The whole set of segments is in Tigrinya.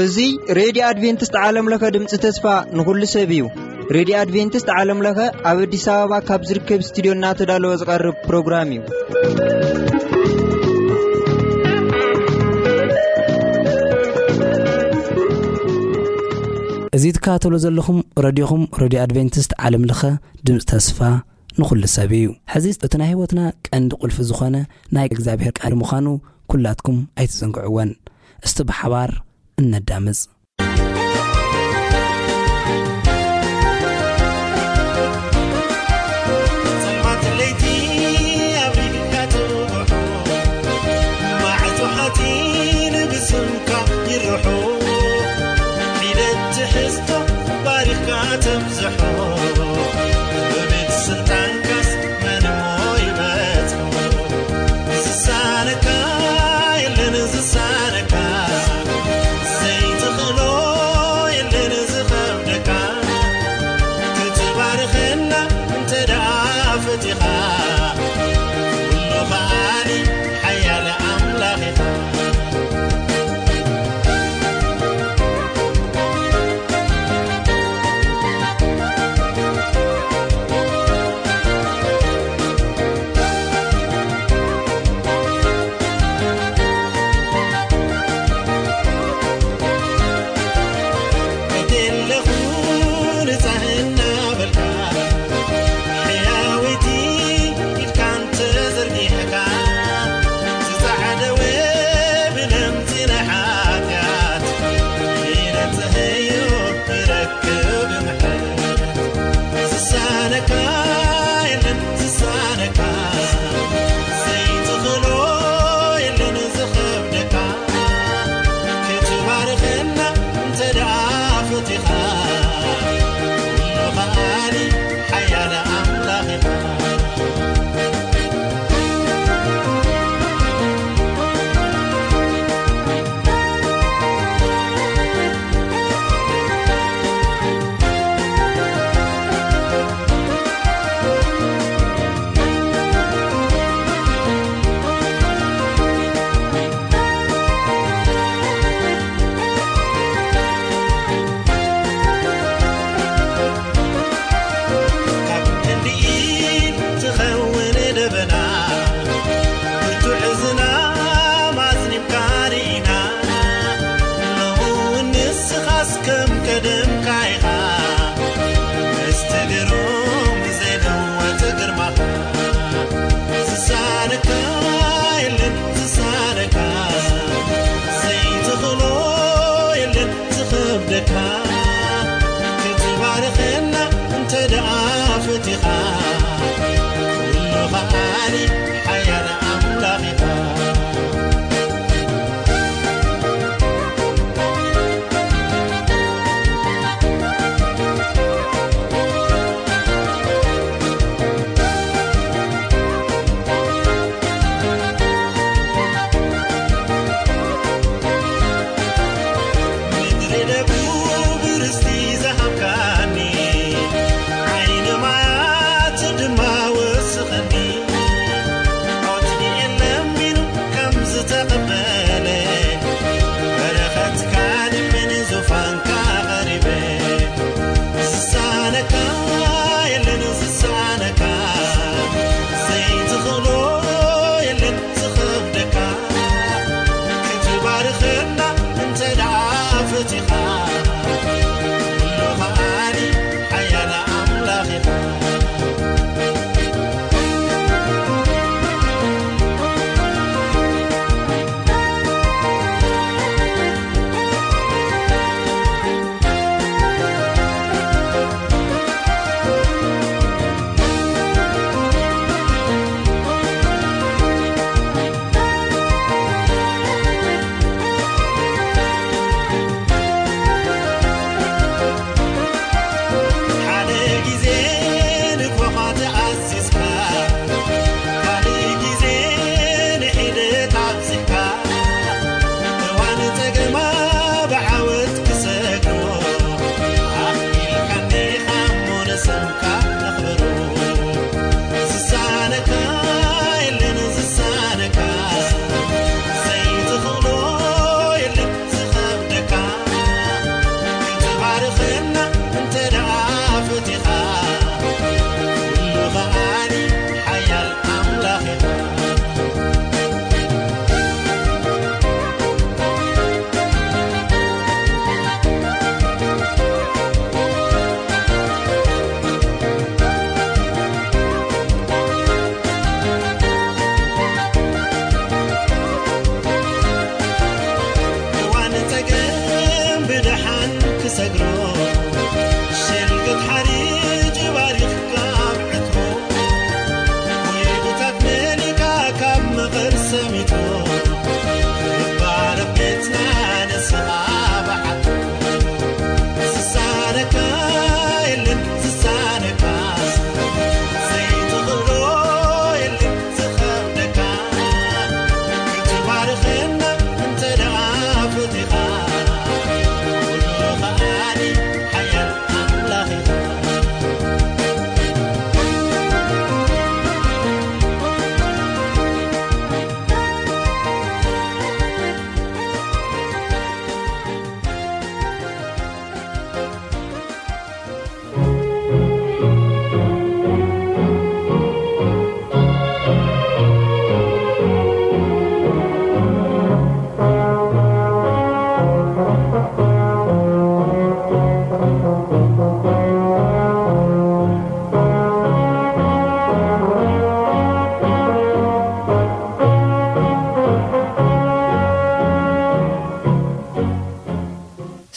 እዚ ሬድዮ ኣድቬንቲስት ዓለም ለኸ ድምፂ ተስፋ ንኹሉ ሰብ እዩ። ሬድዮ ኣድቬንቲስት ዓለም ለኸ ኣብ ኣዲስ ኣበባ ካብ ዝርከብ ስቱዲዮ እናተዳለወ ዝቐርብ ፕሮግራም እዩ። እዚ ትከታተሉ ዘለኹም ረድዮኹም ሬድዮ ኣድቬንቲስት ዓለም ለኸ ድምፂ ተስፋ ንኹሉ ሰብ እዩ። ሕዚ እቲ ናይ ህይወትና ቀንዲ ቁልፊ ዝኾነ ናይ እግዚኣብሔር ቃል ምዃኑ ኩላትኩም ኣይትዘንግዕወን። እስቲ ብሓባር እነዳምፅ። ጸልማት ለይቲ ኣብሪህካ ትብርሆ፣ መዓልቲ ሓጺን ብስምካ ይርሖ። ሒደት ትሕዝቶ ባሪኽካ ተብዝሖ፣ ብቤት ስልጣንካስ መን እሞ ይበጽሖ? ዝሳነካ የለን ዝሳነካ፣ ዘይትኽእሎ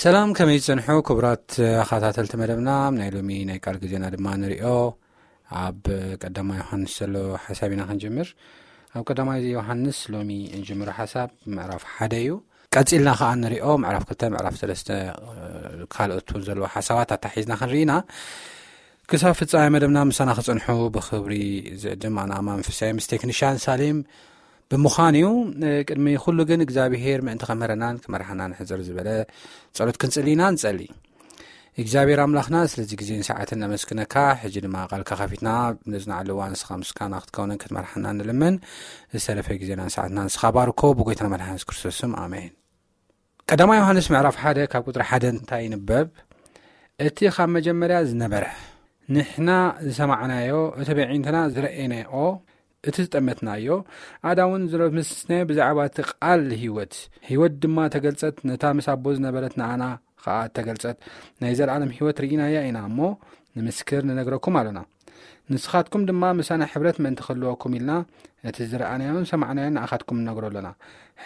ሰላም፣ ከመይ ዝጸንሑ ክቡራት ተኸታተልቲ መደብና? ናይ ሎሚ ናይ ቃል ግዜና ድማ ንሪኦ። ኣብ ቀዳማይ ዮሃንስ ዘሎ ሓሳብ ኢና ክንጅምር። ኣብ ቀዳማይ ዮሃንስ ሎሚ እንጅምሮ ሓሳብ ምዕራፍ ሓደ እዩ። ቀጺልና ከኣ ንሪኦ ምዕራፍ ክልተ፣ ምዕራፍ ሰለስተ፣ ካልኦት እውን ዘለዎ ሓሳባት ኣታሒዝና ክንርኢ ኢና። ክሳብ ፍጻሜ መደብና ምሳና ክጸንሑ ብኽብሪ ዝዕድም ኣነ ኣማን ፍሳይ ምስ ቴክኒሻን ሳሌም ብምዃን እዩ። ቅድሚ ኩሉ ግን እግዚኣብሄር ምእንቲ ከምህረናን ክመርሓናን ሕጽር ዝበለ ጸሎት ክንጽሊ ኢና ንጸሊ። እግዚኣብሔር ኣምላኽና ስለዚ ግዜን ሰዓትን ነመስግነካ። ሕጂ ድማ ቃልካ ከፊትና ነጽንዓሉ እዋን ንስኻ ምስጋና ክትከውንን ክትመርሓና ንልምን። ዝተረፈ ግዜናን ሰዓትና ንስኻ ባርኮ። ብጎይታና መድሓን የሱስ ክርስቶስ ስም ኣሜን። ቀዳማይ ዮሃንስ ምዕራፍ ሓደ ካብ ቁጽሪ ሓደ እንታይ ይንበብ? እቲ ካብ መጀመርያ ዝነበረ፣ ንሕና ዝሰማዕናዮ፣ እቲ ብዒንትና ዝረኣናዮ፣ እቲ ዝጠመትናዮ፣ ኣዳ እውን ዝረመስናዮ ብዛዕባ እቲ ቃል ህይወት። ህይወት ድማ ተገልጸት፣ ነታ ምስ ኣቦ ዝነበረት ንኣና ኸኣ ተገልጸት። ናይ ዘለኣለም ህይወት ርኢናያ ኢና እሞ ንምስክር ንነግረኩም ኣሎና። ንስኻትኩም ድማ ምሳና ሕብረት ምእንቲ ክህልወኩም ኢልና እቲ ዝረኣናዮን ሰማዕናዮን ንኣኻትኩም ንነግሮ ኣሎና።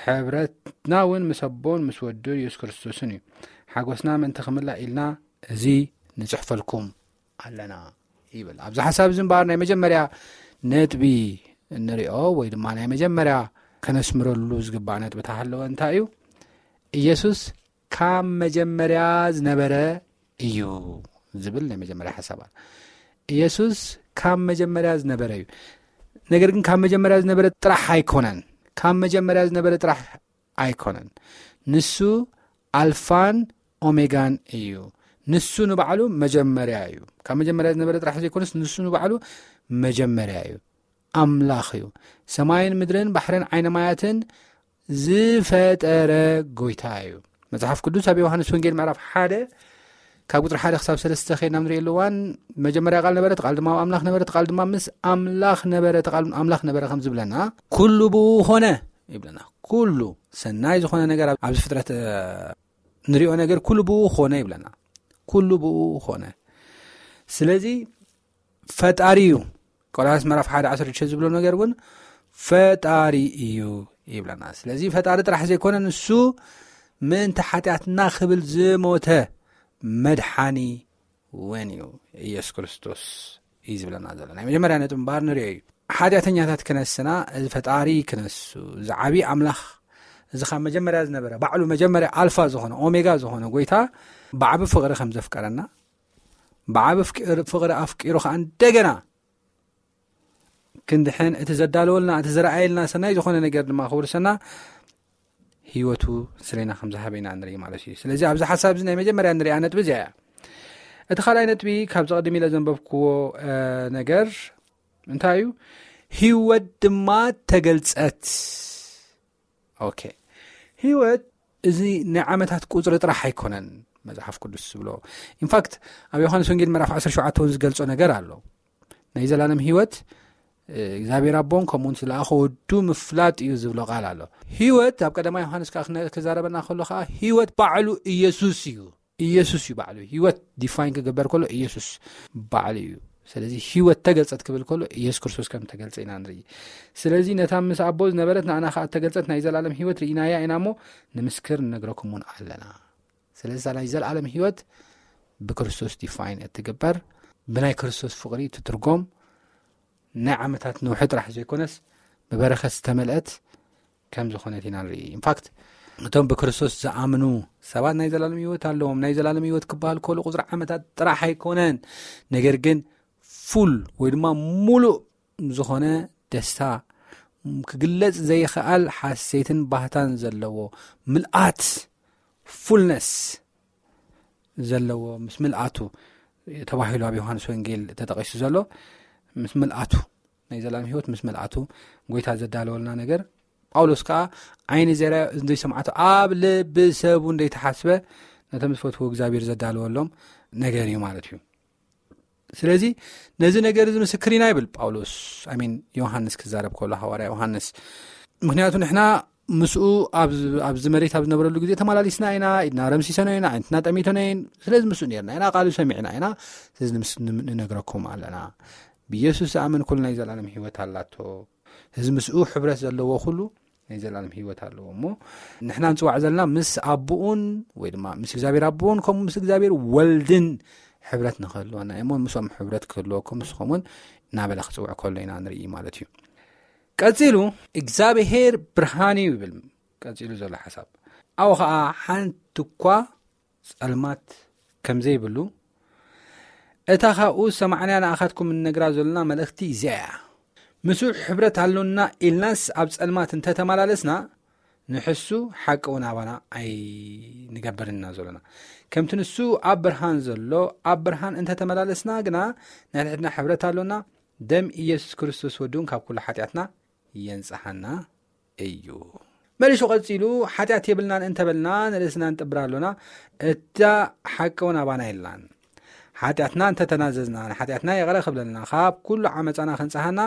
ሕብረትና እውን ምስ ኣቦን ምስ ወዱ የሱስ ክርስቶስን እዩ። ሓጎስና ምእንቲ ክምላእ ኢልና እዚ ንጽሕፈልኩም ኣለና ይብል። ኣብዚ ሓሳብ እዚ እምበኣር ናይ መጀመርያ ነጥቢ እንሪኦ ወይ ድማ ናይ መጀመርያ ከነስምረሉ ዝግባእ ነጥቢ ተሃለወ እንታይ እዩ? ኢየሱስ ካብ መጀመርያ ዝነበረ እዩ ዝብል ናይ መጀመርያ ሓሳብ ኣሎ። ኢየሱስ ካብ መጀመርያ ዝነበረ እዩ። ነገር ግን ካብ መጀመርያ ዝነበረ ጥራሕ ኣይኮነን። ካብ መጀመርያ ዝነበረ ጥራሕ ኣይኮነን። ንሱ ኣልፋን ኦሜጋን እዩ። ንሱ ንባዕሉ መጀመርያ እዩ። ካብ መጀመርያ ዝነበረ ጥራሕ ዘይኮነስ ንሱ ንባዕሉ መጀመርያ እዩ። ኣምላኽ እዩ። ሰማይን ምድርን ባሕርን ዓይነ ማያትን ዝፈጠረ ጎይታ እዩ። መጽሓፍ ቅዱስ ኣብ ዮሃንስ ወንጌል ምዕራፍ ሓደ ካብ ቁጽሪ ሓደ ክሳብ ሰለስተ ኸይድና ንሪኦ ኣለዋን፣ መጀመርያ ቃል ነበረ፣ እቲ ቃል ድማ ኣብ ኣምላኽ ነበረ፣ እቲ ቃል ድማ ምስ ኣምላኽ ነበረ፣ እቲ ቃል ኣምላኽ ነበረ ከም ዝብለና፣ ኩሉ ብኡ ኾነ ይብለና። ኩሉ ሰናይ ዝኾነ ነገር ኣብ-፣ ኣብዚ ፍጥረት፣ እ፣ ንሪኦ ነገር ኩሉ ብኡ ኾነ ይብለና። ኩሉ ብኡ ኾነ። ስለዚ ፈጣሪ እዩ። ቆላስይስ ምዕራፍ ሓደ ዓሰርተ ሽዱሽተ ዝብሎ ነገር እውን ፈጣሪ እዩ ይብለና። ስለዚ ፈጣሪ ጥራሕ ዘይኮነ ንሱ ምእንቲ ሓጢኣትና ክብል ዝሞተ መድሓኒ እውን እዩ ኢየሱስ ክርስቶስ እዩ ዝብለና ዘሎ። ናይ መጀመርያ ነጥቢ እምበኣር ንሪኦ እዩ። ሓጢኣተኛታት ክነስና እዚ ፈጣሪ ክነሱ፣ እዚ ዓብዪ ኣምላኽ፣ እዚ ካብ መጀመርያ ዝነበረ፣ ባዕሉ መጀመርያ ኣልፋ ዝኾነ ኦሜጋ ዝኾነ ጎይታ ብዓቢ ፍቕሪ ከም ዘፍቀረና፣ ብዓቢ ፍቅር-፣ ፍቕሪ ኣፍቂሩ ከኣ እንደገና ክንድሕን እቲ ዘዳለወልና፣ እቲ ዝረኣየልና ሰናይ ዝኾነ ነገር ድማ ክውርሰና ህይወቱ ስለ ኢና ከም ዝሃበ ኢና ንርኢ ማለት እዩ። ስለዚ ኣብዚ ሓሳብ እዚ ናይ መጀመርያ ንሪኣ ነጥቢ እዚኣ እያ። እቲ ካልኣይ ነጥቢ ካብዚ ቅድም ኢለ ዘንበብክዎ፣ እ፣ ነገር እንታይ እዩ? ህይወት ድማ ተገልጸት። ኦኬ። ህይወት እዚ ናይ ዓመታት ቁጽሪ ጥራሕ ኣይኮነን መጽሓፍ ቅዱስ ዝብሎ። ኢንፋክት ኣብ ዮሃንስ ወንጌል ምዕራፍ ዓሰርተ ሸውዓተ እውን ዝገልጾ ነገር ኣሎ። ናይ ዘላለም ህይወት፣ እ፣ እግዚኣብሔር ኣቦን ከምኡ እውን ዝለኣኸ ወዱ ምፍላጥ እዩ ዝብሎ ቃል ኣሎ። ህይወት ኣብ ቀዳማይ ዮሃንስ ከኣ ክነ-፣ ክዛረበና ከሎ ከኣ ህይወት ባዕሉ ኢየሱስ እዩ። ኢየሱስ እዩ ባዕሉ። ህይወት ዲፋይን ክግበር ከሎ ኢየሱስ ባዕሉ እዩ። ስለዚ ህይወት ተገልጸት ክብል ከሎ ኢየሱስ ክርስቶስ ከም ተገልጸ ኢና ንርኢ። ስለዚ ነታ ምስ ኣቦ ዝነበረት ንኣና ከኣ ተገልጸት ናይ ዘላለም ህይወት ርኢናያ ኢና እሞ ንምስክር ንነግረኩም እውን ኣለና። ስለዚ እዛ ናይ ዘላለም ህይወት ብክርስቶስ ዲፋይን እትግበር፣ ብናይ ክርስቶስ ፍቕሪ እትትርጎም፣ ናይ ዓመታት ነውሒ ጥራሕ ዘይኮነስ ብበረኸት ዝተመልአት ከም ዝኾነት ኢና ንርኢ። ኢንፋክት እቶም ብክርስቶስ ዝኣምኑ ሰባት ናይ ዘላለም ህይወት ኣለዎም። ናይ ዘላለም ህይወት ክበሃል ከሎ ቁጽሪ ዓመታት ጥራሕ ኣይኮነን፣ ነገር ግን ፉል ወይ ድማ ሙሉእ ዝኾነ ደስታ፣ ክግለጽ ዘይክኣል ሓሴትን ባህታን ዘለዎ ምልኣት፣ ፉልነስ ዘለዎ፣ ምስ ምልኣቱ ተባሂሉ ኣብ ዮሃንስ ወንጌል ተጠቒሱ ዘሎ፣ ምስ ምልኣቱ፣ ናይ ዘላለም ህይወት ምስ ምልኣቱ ጎይታ ዘዳለወልና ነገር፣ ጳውሎስ ከኣ ዓይኒ ዘይረኣዮ፣ እዝኒ ዘይሰምዓቶ፣ ኣብ ልቢ ሰብ እውን ዘይተሓስበ ነቶም ዝፈትዎ እግዚኣብሔር ዘዳለወሎም ነገር እዩ ማለት እዩ። ስለዚ ነዚ ነገር እዚ ምስክር ኢና ይብል ጳውሎስ፣ ኣይ ሚን ዮሃንስ ክዛረብ ከሎ፣ ሃዋርያ ዮሃንስ። ምክንያቱ ንሕና ምስኡ ኣብ፣ ኣብዚ መሬት ኣብ ዝነበረሉ ግዜ ተመላሊስና ኢና፣ ኢድና ረምሲሰኖ ኢና፣ ኣዒንትና ጠሚቶኖ እየን። ስለዚ ምስኡ ነርና ኢና፣ ቃሉ ሰሚዕና ኢና። ስለዚ ንምስ-፣ ንም-፣ ንነግረኩም ኣለና። ብኢየሱስ ዝኣምን ኩሉ ናይ ዘላለም ህይወት ኣላቶ። እዚ ምስኡ ሕብረት ዘለዎ ኩሉ ናይ ዘላለም ህይወት ኣለዎ። እሞ ንሕና ንፅዋዕ ዘለና ምስ ኣቦኡን ወይ ድማ ምስ እግዚኣብሔር ኣቦኡን ከምኡ ምስ እግዚኣብሔር ወልድን ሕብረት ንክህልወና እሞ ምስኦም ሕብረት ክህልወኩም ንስኹም እውን እናበለ ክፅውዕ ከሎ ኢና ንርኢ ማለት እዩ። ቀፂሉ እግዚኣብሔር ብርሃን እዩ ይብል። ቀፂሉ ዘሎ ሓሳብ ኣብኡ ከዓ ሓንቲ እኳ ጸልማት ከም ዘይብሉ፣ እታ ካብኡ ዝሰማዕናያ ንኣኻትኩም እንነግራ ዘሎና መልእኽቲ እዚኣ እያ። ምስኡ ሕብረት ኣሎና ኢልናስ ኣብ ጸልማት እንተ ተመላለስና፣ ንሕሱ ሓቂ እውን ኣባና ኣይንገብርን ኢና ዘሎና። ከምቲ ንሱ ኣብ ብርሃን ዘሎ፣ ኣብ ብርሃን እንተ ተመላለስና ግና፣ ናይ ንሕድና ሕብረት ኣሎና፣ ደም ኢየሱስ ክርስቶስ ወድውን ካብ ኩሉ ሓጢኣትና የንጽሓና እዩ። መሊሱ ቀጺሉ፣ ሓጢኣት የብልናን እንተበልና ንርእስና ንጥብር ኣሎና፣ እታ ሓቂ እውን ኣባና የላን። ሓጢኣትና እንተተናዘዝና፣ ንሓጢኣትና ይቕረ ክብለልና፣ ካብ ኩሉ ዓመጻና ክንጽሃና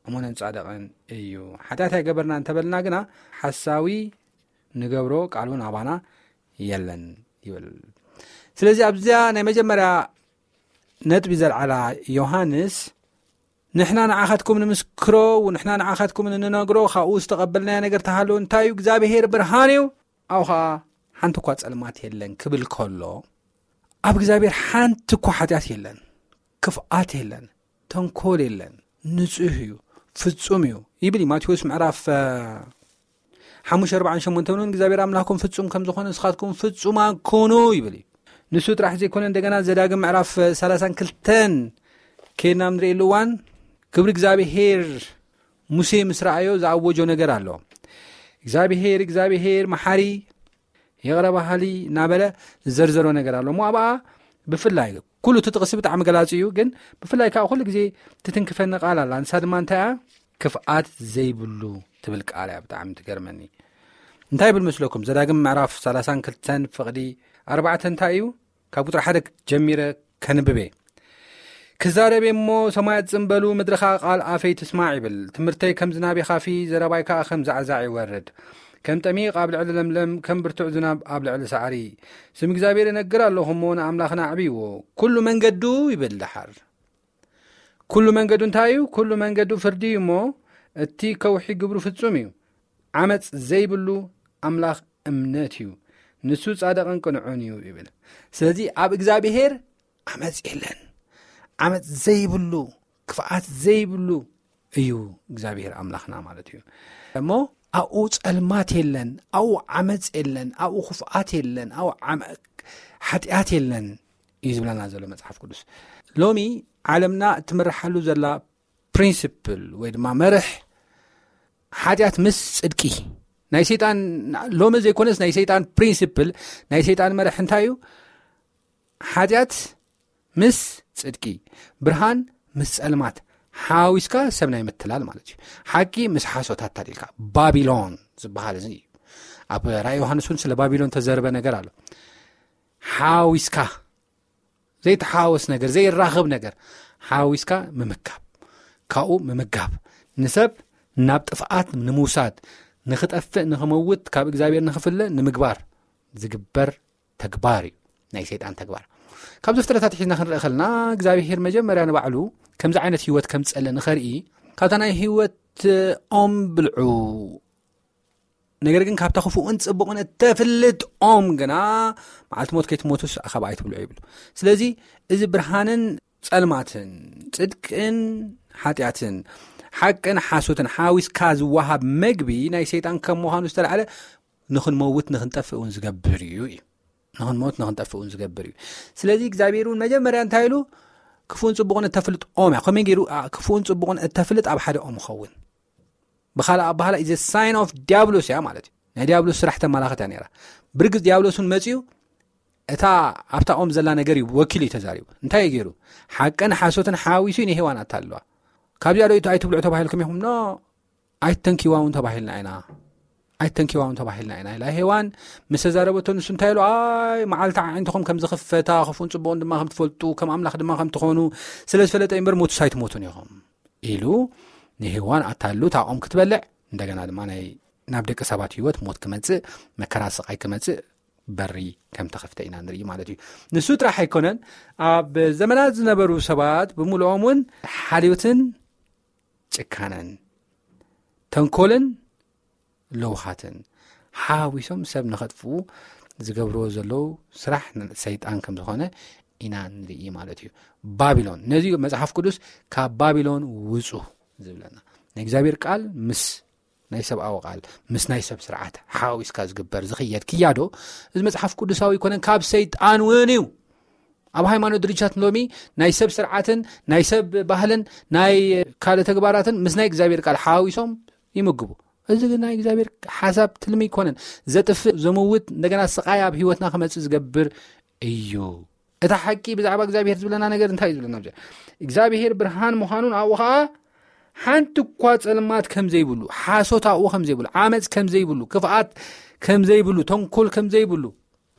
እሙንን ጻድቕን እዩ። ሓጢኣት ኣይገበርና እንተበልና ግና፣ ሓሳዊ ንገብሮ ቃል እውን ኣባና የለን ይብል። ስለዚ ኣብዚኣ ናይ መጀመርያ ነጥቢ ዘልዓላ ዮሃንስ፣ ንሕና ንዓኻትኩም ንምስክሮ፣ ንሕና ንዓኻትኩም እንነግሮ፣ ካብኡ ዝተቐበልናዮ ነገር ተሃለወ እንታይ እዩ? እግዚኣብሔር ብርሃን እዩ፣ ኣብኡ ኸዓ ሓንቲ እኳ ጸልማት የለን ክብል ከሎ፣ ኣብ እግዚኣብሔር ሓንቲ እኳ ሓጢኣት የለን፣ ክፍኣት የለን፣ ተንኮል የለን፣ ንጹህ እዩ፣ ፍጹም እዩ ይብል እዩ። ማቴዎስ ምዕራፍ፣ እ፣ ሓሙሽተ ኣርባዓን ሸሞንተን እውን እግዚኣብሔር ኣምላኽኩም ፍጹም ከም ዝኾነ ንስኻትኩም ፍጹማን ኩኑ ይብል እዩ። ንሱ ጥራሕ ዘይኮነ፣ እንደገና ዘዳግም ምዕራፍ ሰላሳን ክልተን ኬድና ንርእየሉ እዋን፣ ክብሪ እግዚኣብሔር ሙሴ ምስ ረኣዮ ዝኣወጆ ነገር ኣሎ። እግዚኣብሔር፣ እግዚኣብሔር መሓሪ፣ ይቕረ በሃሊ እናበለ ዝዘርዘሮ ነገር ኣሎ። እሞ ኣብኣ ብፍላይ ኩሉ እቲ ጥቕሲ ብጣዕሚ ገላጺ እዩ፣ ግን ብፍላይ ከዓ ኩሉ ግዜ ትትንክፈኒ ቃል ኣላ። ንሳ ድማ እንታይ እያ? ክፍኣት ዘይብሉ ትብል ቃል እያ። ብጣዕሚ ትገርመኒ። እንታይ ይብል መስለኩም? ዘዳግም ምዕራፍ ሰላሳን ክልተን ፍቕዲ ኣርባዕተ እንታይ እዩ? ካብ ቁጽሪ ሓደ ጀሚረ ከንብብ እየ። ክዛረብ እየ እሞ ሰማያት ጽም በሉ፣ ምድሪ ኸኣ ቃል ኣፈይ ትስማዕ ይብል። ትምህርተይ ከም ዝናብ ይኻፊ፣ ዘረባይ ከኣ ከም ዛዕዛዕ ይወርድ። ከም ጠሚቕ ኣብ ልዕሊ ለምለም፣ ከም ብርቱዕ ዝናብ ኣብ ልዕሊ ሳዕሪ። ስም እግዚኣብሔር እነግር ኣለኹ እሞ ንኣምላኽና ኣዕብይዎ። ኩሉ መንገዱ ይብል ደሓር። ኩሉ መንገዱ እንታይ እዩ? ኩሉ መንገዱ ፍርዲ እዩ እሞ እቲ ከውሒ ግብሩ ፍጹም እዩ። ዓመጽ ዘይብሉ ኣምላኽ እምነት እዩ። ንሱ ጻድቕን ቅኑዕን እዩ ይብል። ስለዚ ኣብ እግዚኣብሔር ዓመጽ የለን። ዓመጽ ዘይብሉ፣ ክፍኣት ዘይብሉ እዩ እግዚኣብሔር ኣምላኽና ማለት እዩ። እሞ ኣብኡ ጸልማት የለን፣ ኣብኡ ዓመጽ የለን፣ ኣብኡ ክፍኣት የለን፣ ኣብኡ ዓመ-፣ ሓጢኣት የለን እዩ ዝብለና ዘሎ መጽሓፍ ቅዱስ። ሎሚ ዓለምና እትምርሓሉ ዘላ ፕሪንሲፕል ወይ ድማ መርሕ ሓጢኣት ምስ ጽድቂ ናይ ሰይጣን፣ ሎሚ ዘይኮነስ ናይ ሰይጣን ፕሪንሲፕል፣ ናይ ሰይጣን መርሕ እንታይ እዩ? ሓጢኣት ምስ ጽድቂ፣ ብርሃን ምስ ጸልማት ሓዊስካ ሰብ ናይ ምትላል ማለት እዩ። ሓቂ ምስ ሓሶት ኣታሊልካ፣ ባቢሎን ዝበሃል እዚ እዩ። ኣብ ራእይ ዮሃንስ እውን ስለ ባቢሎን ተዘርበ ነገር ኣሎ። ሓዊስካ ዘይተሓዋወስ ነገር፣ ዘይራኸብ ነገር ሓዊስካ ምምካብ፣ ካብኡ ምምጋብ፣ ንሰብ ናብ ጥፍኣት ንምውሳድ፣ ንኽጠፍእ፣ ንኽመውት፣ ካብ እግዚኣብሔር ንኽፍለ ንምግባር ዝግበር ተግባር እዩ፣ ናይ ሰይጣን ተግባር። ካብ ዘፍጥረታት ሒዝና ክንርኢ ከለና እግዚኣብሔር መጀመርያ ንባዕሉ ከምዚ ዓይነት ህይወት ከምጸለ ንኸርኢ ካብታ ናይ ህይወት ኦም ብልዑ። ነገር ግን ካብታ ክፉእን ጽቡቕን እተፍልጥ ኦም ግና መዓልቲ ሞት ከይትሞቱስ ካብኣ ኣይትብልዑ ይብሉ። ስለዚ እዚ ብርሃንን ጸልማትን፣ ጽድቅን ሓጢኣትን፣ ሓቅን ሓሶትን ሓዊስካ ዝወሃብ መግቢ ናይ ሰይጣን ከም ምዃኑ ዝተላዕለ ንኽንመውት ንኽንጠፍእ እውን ዝገብር እዩ እዩ። ንኽንሞት ንኽንጠፍእ እውን ዝገብር እዩ። ስለዚ እግዚኣብሔር እውን መጀመርያ እንታይ ኢሉ? ክፉእን ጽቡቕን እተፍልጥ ኦም እያ። ከመይ ገይሩ? ኣ፣ ክፉእን ጽቡቕን እተፍልጥ ኣብ ሓደ ኦም ይኸውን። ብኻልእ ኣባህላ ኢዘ ሳይን ኦፍ ዲያብሎስ እያ ማለት እዩ። ናይ ዲያብሎስ ስራሕ ተመላኸት እያ ነይራ። ብርግጽ ዲያብሎስ እውን መጺኡ እታ ኣብታ ኦም ዘላ ነገር እዩ ወኪሉ እዩ ተዛሪቡ። እንታይ እዩ ገይሩ? ሓቅን ሓሶትን ሓዊሱ እዩ ንሄዋን ኣታልዋ። ካብዚኣ ዶ ኣይትብልዑ ተባሂልኩም ኢኹም? ኖ፣ ኣይተንኪዋ እውን ተባሂልና ኢና። ኣይተንኪዋ እውን ተባሂልና ኢና ኢላ ሄዋን ምስ ተዛረበቶ፣ ንሱ እንታይ ኢሉ? ኣይ፣ መዓልቲ ኣዒንትኹም ከም ዝኽፈታ፣ ክፉእን ጽቡቕን ድማ ከም ትፈልጡ፣ ከም ኣምላኽ ድማ ከም ትኾኑ ስለ ዝፈለጠ እምበር ሞቱስ ኣይትሞቱን ኢኹም ኢሉ ንሄዋን ኣታሉ እታ ኦም ክትበልዕ፣ እንደገና ድማ ናይ፣ ናብ ደቂ ሰባት ህይወት ሞት ክመጽእ፣ መከራ ስቓይ ክመጽእ በሪ ከም ተኸፍተ ኢና ንርኢ ማለት እዩ። ንሱ ጥራሕ ኣይኮነን፣ ኣብ ዘመናት ዝነበሩ ሰባት ብምልኦም እውን ሓልዮትን ጭካነን፣ ተንኮልን ለውሃትን ሓዊሶም ሰብ ንኸጥፍኡ ዝገብርዎ ዘለዉ ስራሕ ሰይጣን ከም ዝኾነ ኢና ንርኢ ማለት እዩ። ባቢሎን፣ ነዚ መጽሓፍ ቅዱስ ካብ ባቢሎን ውጹ ዝብለና፣ ናይ እግዚኣብሔር ቃል ምስ ናይ ሰብኣዊ ቃል፣ ምስ ናይ ሰብ ስርዓት ሓዊስካ ዝግበር ዝኽየድ ክያዶ፣ እዚ መጽሓፍ ቅዱሳዊ ኣይኮነን፣ ካብ ሰይጣን እውን እዩ። ኣብ ሃይማኖት ድርጅታት ሎሚ ናይ ሰብ ስርዓትን ናይ ሰብ ባህልን ናይ ካልእ ተግባራትን ምስ ናይ እግዚኣብሔር ቃል ሓዊሶም ይምግቡ። እዚ ግን ናይ እግዚኣብሔር ሓሳብ ትልሚ ኣይኮነን። ዘጥፍእ፣ ዘምውት፣ እንደገና ስቓይ ኣብ ህይወትና ክመጽእ ዝገብር እዩ። እታ ሓቂ ብዛዕባ እግዚኣብሔር ዝብለና ነገር እንታይ እዩ ዝብለና? እግዚኣብሔር ብርሃን ምዃኑን ኣብኡ ኸዓ ሓንቲ እኳ ጸልማት ከም ዘይብሉ፣ ሓሶት ኣብኡ ከም ዘይብሉ፣ ዓመጽ ከም ዘይብሉ፣ ክፍኣት ከም ዘይብሉ፣ ተንኮል ከም ዘይብሉ፣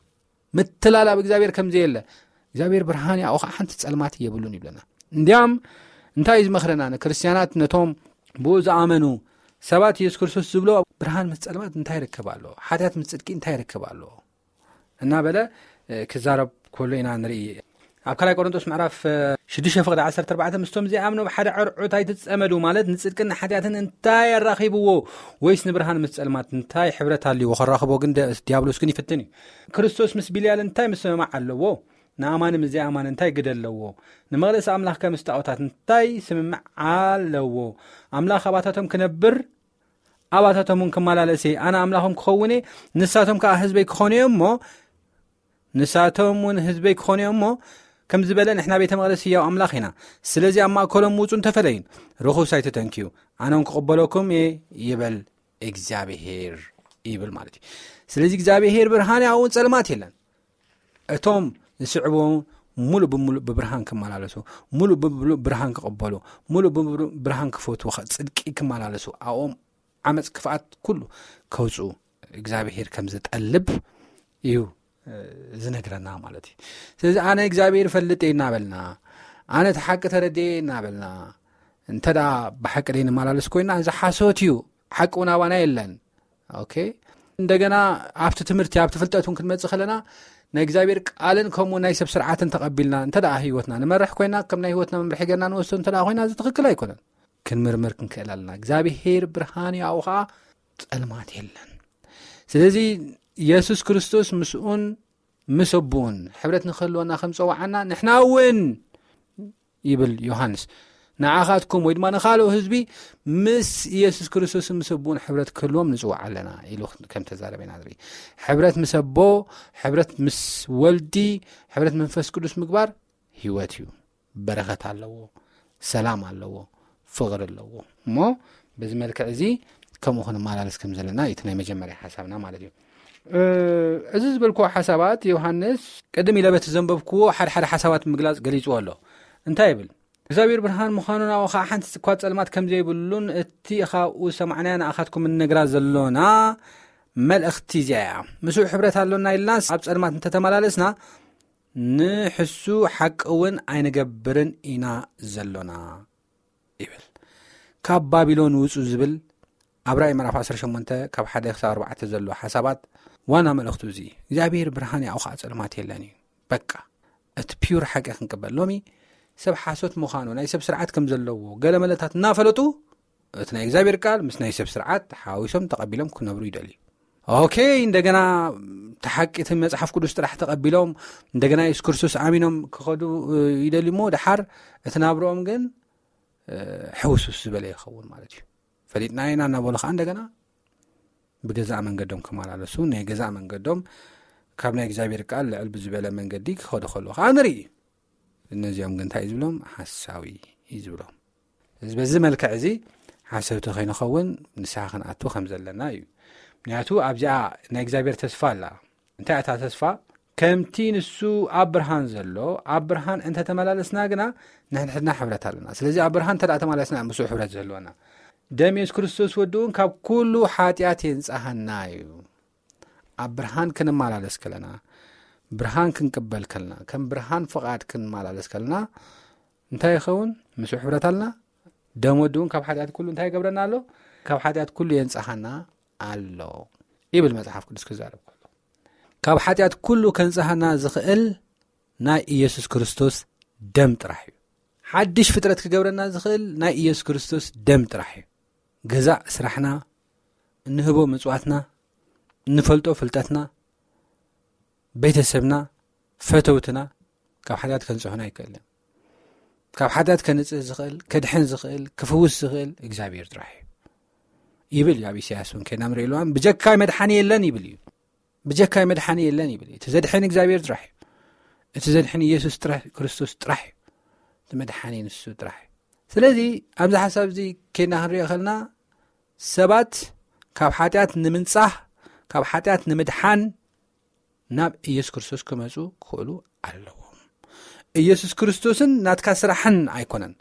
ምትላል ኣብ እግዚኣብሔር ከም ዘየለ፣ እግዚኣብሔር ብርሃን እዩ፣ ኣብኡ ኸዓ ሓንቲ ጸልማት የብሉን ይብለና። እንዲያም እንታይ እዩ ዝመኽረና? ንክርስትያናት፣ ነቶም ብኡ ዝኣመኑ ሰባት፣ የሱስ ክርስቶስ ዝብሎ፣ ብርሃን ምስ ጸልማት እንታይ ይርከብ ኣሎ? ሓጢኣት ምስ ጽድቂ እንታይ ይርከብ ኣሎ? እናበለ፣ እ፣ ክዛረብ ከሎ ኢና ንርኢ። ኣብ ካልኣይ ቆሮንቶስ ምዕራፍ፣ እ፣ ሽዱሽተ ፍቕዲ ዓሰርተ ኣርባዕተ፣ "ምስቶም ዘይኣምኑ ብሓደ ዕርዑት ኣይትጸመዱ" ማለት ንጽድቅን ንሓጢኣትን እንታይ ኣራኺብዎ? ወይስ ንብርሃን ምስ ጸልማት እንታይ ሕብረት ኣልዎ? ከራኽቦ ግን ደ-፣ ዲያብሎስ ግን ይፍትን እዩ። ክርስቶስ ምስ ቢልያል እንታይ ምስምማዕ ኣለዎ? ንኣማኒ ምስ ዘይኣማኒ እንታይ ግደ ኣለዎ? ንመቕደስ ኣምላኽ ከም ምስ ጣዖታት እንታይ ስምምዕ ኣለዎ? ኣምላኽ ኣባታቶም ክነብር፣ ኣባታቶም እውን ክመላለስ እየ። ኣነ ኣምላኾም ክኸውን እየ፣ ንሳቶም ከኣ ህዝበይ ክኾኑ እዮም እሞ፣ ንሳቶም እውን ህዝበይ ክኾኑ እዮም እሞ፣ ከም ዝበለ፣ ንሕና ቤተ መቕደስ ህያው ኣምላኽ ኢና። ስለዚ ኣብ ማእከሎም ውጹን ተፈለዩን። ርኹስ ኣይትተንክዩ፣ ኣነ እውን ክቕበለኩም እየ ይበል እግዚኣብሄር፣ ይብል ማለት እዩ። ስለዚ እግዚኣብሄር ብርሃን እዩ፣ ኣብኡ ጸልማት የለን። እቶም ዝስዕቡ ሙሉእ ብሙሉእ ብብርሃን ክመላለሱ፣ ሙሉእ ብሙሉእ ብርሃን ክቕበሉ፣ ሙሉእ ብሙሉእ ብርሃን ክፈትዉ፣ ጽድቂ ክመላለሱ፣ ኣብኦም ዓመጽ ክፍኣት ኩሉ ከውጽኡ እግዚኣብሄር ከም ዝጠልብ እዩ፣ እ፣ ዝነግረና ማለት እዩ። ስለዚ ኣነ እግዚኣብሄር እፈልጥ እየ እናበልና፣ ኣነ እቲ ሓቂ ተረድኤ እናበልና፣ እንተ ደኣ ብሓቂ ደይ ንመላለስ ኮይና፣ እዚ ሓሶት እዩ፣ ሓቂ እውን ኣባና የለን። ኦኬ፣ እንደገና ኣብቲ ትምህርቲ፣ ኣብቲ ፍልጠት እውን ክንመጽእ ከለና፣ ናይ እግዚኣብሔር ቃልን ከምኡ ናይ ሰብ ስርዓትን ተቐቢልና እንተ ደኣ ህይወትና ንመርሕ ኮይና፣ ከም ናይ ህይወትና መምርሒ ጌርና ንወስዶ እንተ ደኣ ኮይና፣ እዚ ትኽክል ኣይኮነን። ክንምርምር ክንክእል ኣለና። እግዚኣብሔር ብርሃን እዩ፣ ኣብኡ ኸዓ ጸልማት የለን። ስለዚ የሱስ ክርስቶስ ምስኡን ምስ ኣቦኡን ሕብረት ንክህልወና ከም ጸዋዓና፣ ንሕና እውን ይብል ዮሃንስ፣ ንዓኻትኩም ወይ ድማ ንኻልኦ ህዝቢ ምስ ኢየሱስ ክርስቶስን ምስ ኣቦኡን ሕብረት ክህልዎም ንጽዋዕ ኣለና ኢሉ ከም ተዛረበ ኢና ንርኢ። ሕብረት ምስ ኣቦ፣ ሕብረት ምስ ወልዲ፣ ሕብረት መንፈስ ቅዱስ ምግባር ህይወት እዩ። በረኸት ኣለዎ፣ ሰላም ኣለዎ፣ ፍቕሪ ኣለዎ። እሞ በዚ መልክዕ እዚ ከምኡ ክንመላለስ ከም ዘለና እዩ እቲ ናይ መጀመርያ ሓሳብና ማለት እዩ። እ፣ እዚ ዝበልክዎ ሓሳባት ዮሃንስ ቅድም ኢለ በቲ ዘንበብክዎ ሓደ ሓደ ሓሳባት ምግላጽ ገሊጽዎ ኣሎ። እንታይ ይብል? እግዚኣብሔር ብርሃን ምዃኑን ኣብኡ ኸዓ ሓንቲ እኳ ጸልማት ከም ዘይብሉን እቲ ኻብኡ ዝሰማዕናያ ንኣኻትኩም እንነግራ ዘሎና መልእኽቲ እዚኣ እያ። ምስኡ ሕብረት ኣሎና ኢልናስ ኣብ ጸልማት እንተተመላለስና ንሕሱ ሓቂ እውን ኣይንገብርን ኢና ዘሎና ይብል። ካብ ባቢሎን ውጹ ዝብል ኣብ ራእይ ምዕራፍ ዓሰርተ ሸሞንተ ካብ ሓደ ክሳብ ኣርባዕተ ዘሎ ሓሳባት ዋና መልእኽቱ እዚ እዩ። እግዚኣብሔር ብርሃን እዩ፣ ኣብኡ ኸዓ ጸልማት የለን እዩ። በቃ፣ እቲ ፒዩር ሓቂ ክንቅበል። ሎሚ ሰብ ሓሶት ምዃኑ፣ ናይ ሰብ ስርዓት ከም ዘለዎ፣ ገለ መለታት እናፈለጡ፣ እቲ ናይ እግዚኣብሔር ቃል ምስ ናይ ሰብ ስርዓት ሓዊሶም ተቐቢሎም ክነብሩ ይደልዩ። ኦኬ፣ እንደገና እቲ ሓቂ፣ እቲ መጽሓፍ ቅዱስ ጥራሕ ተቐቢሎም፣ እንደገና የሱስ ክርስቶስ ኣሚኖም ክኸዱ፣ እ፣ ይደልዩ እሞ፣ ደሓር እቲ ናብርኦም ግን፣ እ፣ ሕውስውስ ዝበለ ይኸውን ማለት እዩ። ፈሊጥና ኢና እናበሉ ኸዓ እንደገና ብገዛእ መንገዶም ክመላለሱ፣ ናይ ገዛእ መንገዶም ካብ ናይ እግዚኣብሔር ቃል ልዕል ብዝበለ መንገዲ ክኸዱ ከለዉ ኸዓ ንርኢ። እነዚኦም ግን እንታይ እዩ ዝብሎም? ሓሳዊ እዩ ዝብሎም። እዚ፣ በዚ መልክዕ እዚ ሓሰውቲ ከይንኸውን ንስሓ ክንኣቱ ከም ዘለና እዩ። ምክንያቱ ኣብዚኣ ናይ እግዚኣብሔር ተስፋ ኣላ። እንታይ እታ ተስፋ? ከምቲ ንሱ ኣብ ብርሃን ዘሎ፣ ኣብ ብርሃን እንተተመላለስና ግና ንሕድሕድና ሕብረት ኣለና። ስለዚ ኣብ ብርሃን እንተ ደኣ ተመላለስና፣ ምስኡ ሕብረት ዘህልወና። ደም የሱስ ክርስቶስ ወዲ እውን ካብ ኩሉ ሓጢኣት የንጻሃና እዩ። ኣብ ብርሃን ክንመላለስ ከለና፣ ብርሃን ክንቅበል ከለና፣ ከም ብርሃን ፍቓድ ክንመላለስ ከለና፣ እንታይ ይኸውን? ምስኡ ሕብረት ኣለና። ደም ወዲ እውን ካብ ሓጢኣት ኩሉ እንታይ ይገብረና ኣሎ? ካብ ሓጢኣት ኩሉ የንጻሃና ኣሎ ይብል መጽሓፍ ቅዱስ ክዛረብ ከሎ። ካብ ሓጢኣት ኩሉ ከንጻሃና ዝኽእል ናይ ኢየሱስ ክርስቶስ ደም ጥራሕ እዩ። ሓድሽ ፍጥረት ክገብረና ዝኽእል ናይ ኢየሱስ ክርስቶስ ደም ጥራሕ እዩ። ገዛእ ስራሕና፣ እንህቦ ምጽዋትና፣ እንፈልጦ ፍልጠትና፣ ቤተሰብና፣ ፈተውትና ካብ ሓጢኣት ከንጽሑና ኣይክእልን። ካብ ሓጢኣት ከንጽህ ዝኽእል፣ ከድሕን ዝኽእል፣ ክፍውስ ዝኽእል እግዚኣብሔር ጥራሕ እዩ ይብል እዩ። ኣብ ኢሳያስ እውን ከይና ንሪኦ ኣለዋን፣ ብጀካይ መድሓኒ የለን ይብል እዩ። ብጀካይ መድሓኒ የለን ይብል እዩ። እቲ ዘድሕን እግዚኣብሔር ጥራሕ እዩ። እቲ ዘድሕን ኢየሱስ ጥራሕ፣ ክርስቶስ ጥራሕ እዩ። እቲ መድሓኒ ንሱ ጥራሕ እዩ። ስለዚ ኣብዚ ሓሳብ እዚ ከይና ክንሪኦ ከለና ሰባት ካብ ሓጢኣት ንምንጻህ፣ ካብ ሓጢኣት ንምድሓን ናብ ኢየሱስ ክርስቶስ ክመጹ ክኽእሉ ኣለዎም። ኢየሱስ ክርስቶስን ናትካ ስራሕን ኣይኮነን።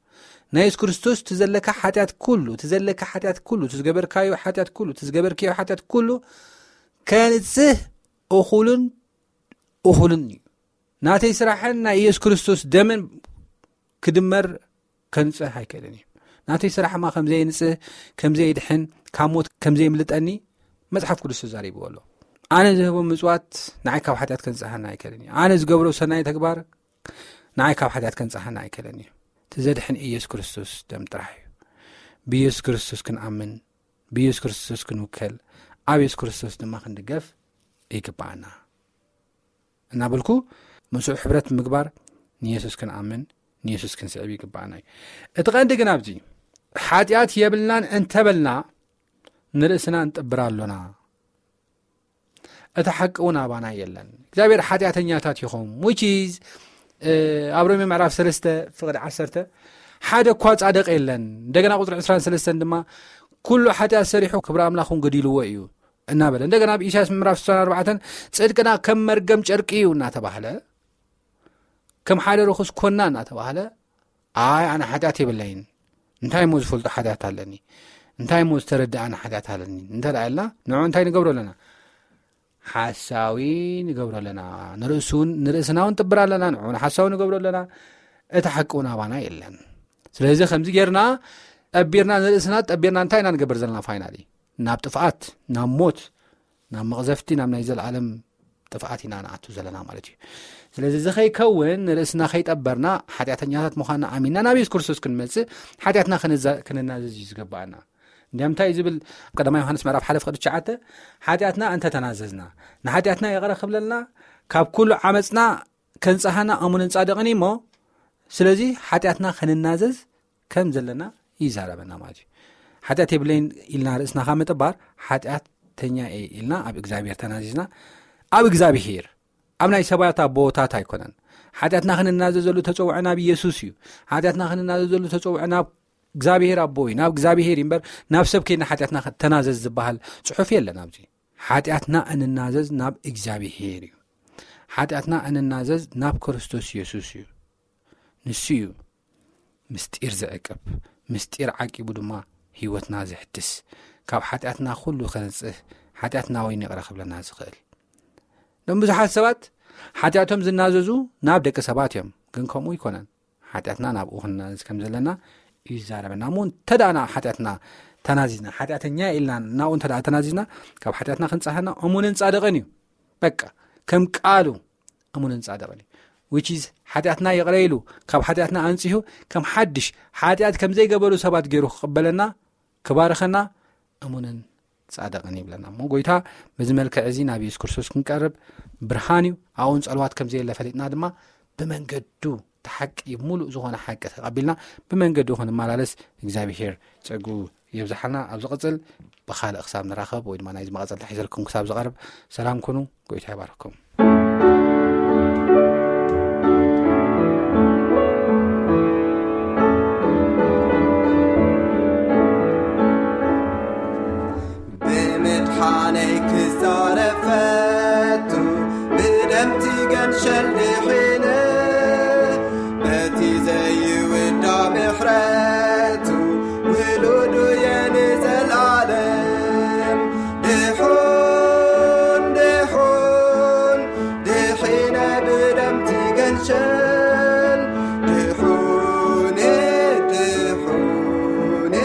ናይ ኢየሱስ ክርስቶስ እቲ ዘለካ ሓጢኣት ኩሉ፣ እቲ ዘለካ ሓጢኣት ኩሉ፣ እቲ ዝገበርካዮ ሓጢኣት ኩሉ፣ እቲ ዝገበርክዮ ሓጢኣት ኩሉ ከንጽህ እኹልን እኹልን እዩ። ናተይ ስራሕን ናይ ኢየሱስ ክርስቶስ ደምን ክድመር ከንጽህ ኣይክእልን እዩ። ናተይ ስራሕ ማ ከም ዘየንጽህ፣ ከም ዘየድሕን፣ ካብ ሞት ከም ዘየምልጠኒ መጽሓፍ ቅዱስ ተዛሪብዎ ኣሎ። ኣነ ዝህቦ ምጽዋት ንዓይ ካብ ሓጢኣት ከንጽሃና ኣይክእልን እዩ። ኣነ ዝገብሮ ሰናይ ተግባር ንዓይ ካብ ሓጢኣት ከንጽሃና ኣይክእልን እዩ። እቲ ዘድሕን ኢየሱስ ክርስቶስ ደም ጥራሕ እዩ። ብኢየሱስ ክርስቶስ ክንኣምን፣ ብኢየሱስ ክርስቶስ ክንውከል፣ ኣብ ኢየሱስ ክርስቶስ ድማ ክንድገፍ ይግብኣና። እናበልኩ ምስኡ ሕብረት ምግባር፣ ንየሱስ ክንኣምን፣ ንየሱስ ክንስዕብ ይግባኣና እዩ። እቲ ቀንዲ ግን ኣብዚ ሓጢኣት የብልናን እንተበልና ንርእስና እንጥብር ኣሎና። እቲ ሓቂ እውን ኣባና የለን። እግዚኣብሔር ሓጢኣተኛታት ኢኹም፣ which is ኣብ ሮሜ ምዕራፍ ሰለስተ ፍቕዲ ዓሰርተ ሓደ እኳ ጻድቕ የለን። እንደገና ቁፅሪ ዕስራን ሰለስተን ድማ ኩሉ ሓጢኣት ሰሪሑ ክብሪ ኣምላኽ እውን ገዲልዎ እዩ እናበለ፣ እንደገና ኣብ ኢሳያስ ምዕራፍ ስሳን ኣርባዕተን ጽድቅና ከም መርገም ጨርቂ እዩ እናተባህለ፣ ከም ሓደ ርኹስ ኮና እናተባህለ፣ ኣይ ኣነ ሓጢኣት የብለይን፣ እንታይ እሞ ዝፈልጦ ሓጢኣት ኣለኒ፣ እንታይ እሞ ዝተረድኣኒ ሓጢኣት ኣለኒ እንተ ደኣ ኢልና፣ ንዑ እንታይ ንገብሮ ኣለና? ሓሳዊ ንገብሮ ኣለና። ንርእሱ እውን፣ ንርእስና እውን ጥብር ኣለና፣ ንዑ ሓሳዊ ንገብሮ ኣለና። እቲ ሓቂ እውን ኣባና የለን። ስለዚ ከምዚ ጌርና ጠቢርና፣ ንርእስና ጠቢርና እንታይ ኢና ንገብር ዘለና? ፋይናሊ ናብ ጥፍኣት፣ ናብ ሞት፣ ናብ መቕዘፍቲ፣ ናብ ናይ ዘለኣለም ጥፍኣት ኢና ንኣቱ ዘለና ማለት እዩ። ስለዚ እዚ ከይከውን፣ ንርእስና ከይጠበርና፣ ሓጢኣተኛታት ምዃንና ኣሚንና ናብ የሱስ ክርስቶስ ክንመጽእ፣ ሓጢኣትና ክንዛ-፣ ክንናዘዝ እዩ ዝግብኣና። እንዲያም እንታይ እዩ ዝብል? ኣብ ቀዳማይ ዮሃንስ ምዕራፍ ሓደ ፍቕዲ ትሽዓተ፣ ሓጢኣትና እንተ ተናዘዝና፣ ንሓጢኣትና ይቕረ ክብለልና፣ ካብ ኩሉ ዓመጽና ከንጽሃና እሙንን ጻድቕን እዩ እሞ፣ ስለዚ ሓጢኣትና ክንናዘዝ ከም ዘለና ይዛረበና ማለት እዩ። ሓጢኣት የብለይን ኢልና ርእስና ካብ ምጥባር፣ ሓጢኣተኛ እየ ኢልና ኣብ እግዚኣብሔር ተናዚዝና፣ ኣብ እግዚኣብሔር፣ ኣብ ናይ ሰባት ኣቦታት ኣይኮነን። ሓጢኣትና ክንናዘዘሉ ተጸውዐ ናብ ኢየሱስ እዩ። ሓጢኣትና ክንናዘዘሉ ተጸውዐ ናብ እግዚኣብሔር ኣቦ እዩ፣ ናብ እግዚኣብሔር እዩ እምበር፣ ናብ ሰብ ከይድና ሓጢኣትና ተናዘዝ ዝበሃል ጽሑፍ የለን ኣብዚ። ሓጢኣትና እንናዘዝ ናብ እግዚኣብሔር እዩ። ሓጢኣትና እንናዘዝ ናብ ክርስቶስ ኢየሱስ እዩ። ንሱ እዩ ምስጢር ዝዕቅብ፣ ምስጢር ዓቂቡ ድማ ህይወትና ዘሕድስ፣ ካብ ሓጢኣትና ኩሉ ከነጽህ፣ ሓጢኣትና ወይን ይቕረ ክብለና ዝኽእል። እዞም ብዙሓት ሰባት ሓጢኣቶም ዝናዘዙ ናብ ደቂ ሰባት እዮም፣ ግን ከምኡ ይኮነን። ሓጢኣትና ናብኡ ክንናዘዝ ከም ዘለና እዩ ዝዛረበና። እሞ እንተ ደኣ ናብ ሓጢኣትና ተናዚዝና፣ ሓጢኣተኛ ኢልና ናብኡ እንተ ደኣ ተናዚዝና፣ ካብ ሓጢኣትና ክንጸሃና እሙንን ጻድቕን እዩ። በቃ፣ ከም ቃሉ እሙንን ጻድቕን እዩ። Which is፣ ሓጢኣትና ይቕረ ኢሉ፣ ካብ ሓጢኣትና ኣንጺሁ፣ ከም ሓድሽ፣ ሓጢኣት ከም ዘይገበሩ ሰባት ገይሩ ክቕበለና፣ ክባርኸና እሙንን ጻድቕን ይብለና። እሞ ጎይታ በዚ መልክዕ እዚ ናብ የሱስ ክርስቶስ ክንቀርብ ብርሃን እዩ። ኣብኡን ጸልዋት ከም ዘየለ ፈሊጥና ድማ ብመንገዱ እቲ ሓቂ፣ ምሉእ ዝኾነ ሓቂ ተቐቢልና ብመንገዱ ክንመላለስ እግዚኣብሔር ጸጉ የብዝሓልና። ኣብ ዝቕጽል ብኻልእ ክሳብ ንራኸብ ወይ ድማ ናይዚ መቐጸልታ ሒዘልኩም ክሳብ ዝቐርብ ሰላም ኩኑ። ጎይታ ይባርኩም። ብምድሓነይ ክዛረብ ፈቱ፣ ብደምቲ ገንሸል ድሒነ፣ በቲ ዘይውዳ ምሕረቱ ውሉዱ እየ ንዘልኣለም። ድሑን፣ ድሑን፣ ድሒነ ብደምቲ ገንሸል። ድሑን፣ ድሑን፣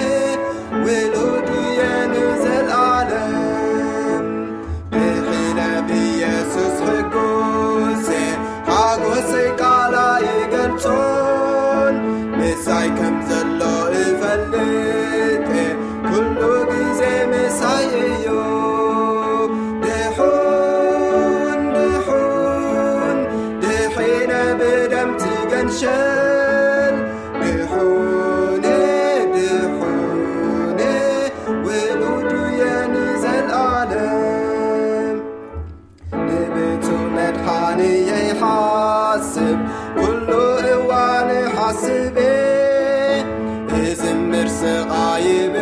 ውሉድ እየ ንዘልኣለም። ድሒነ ብኢየሱስ ሕጉስ እየ፣ ሓጎሰይ ቃል ኣይገልጾን። ምሳይ ከም ተቓይብ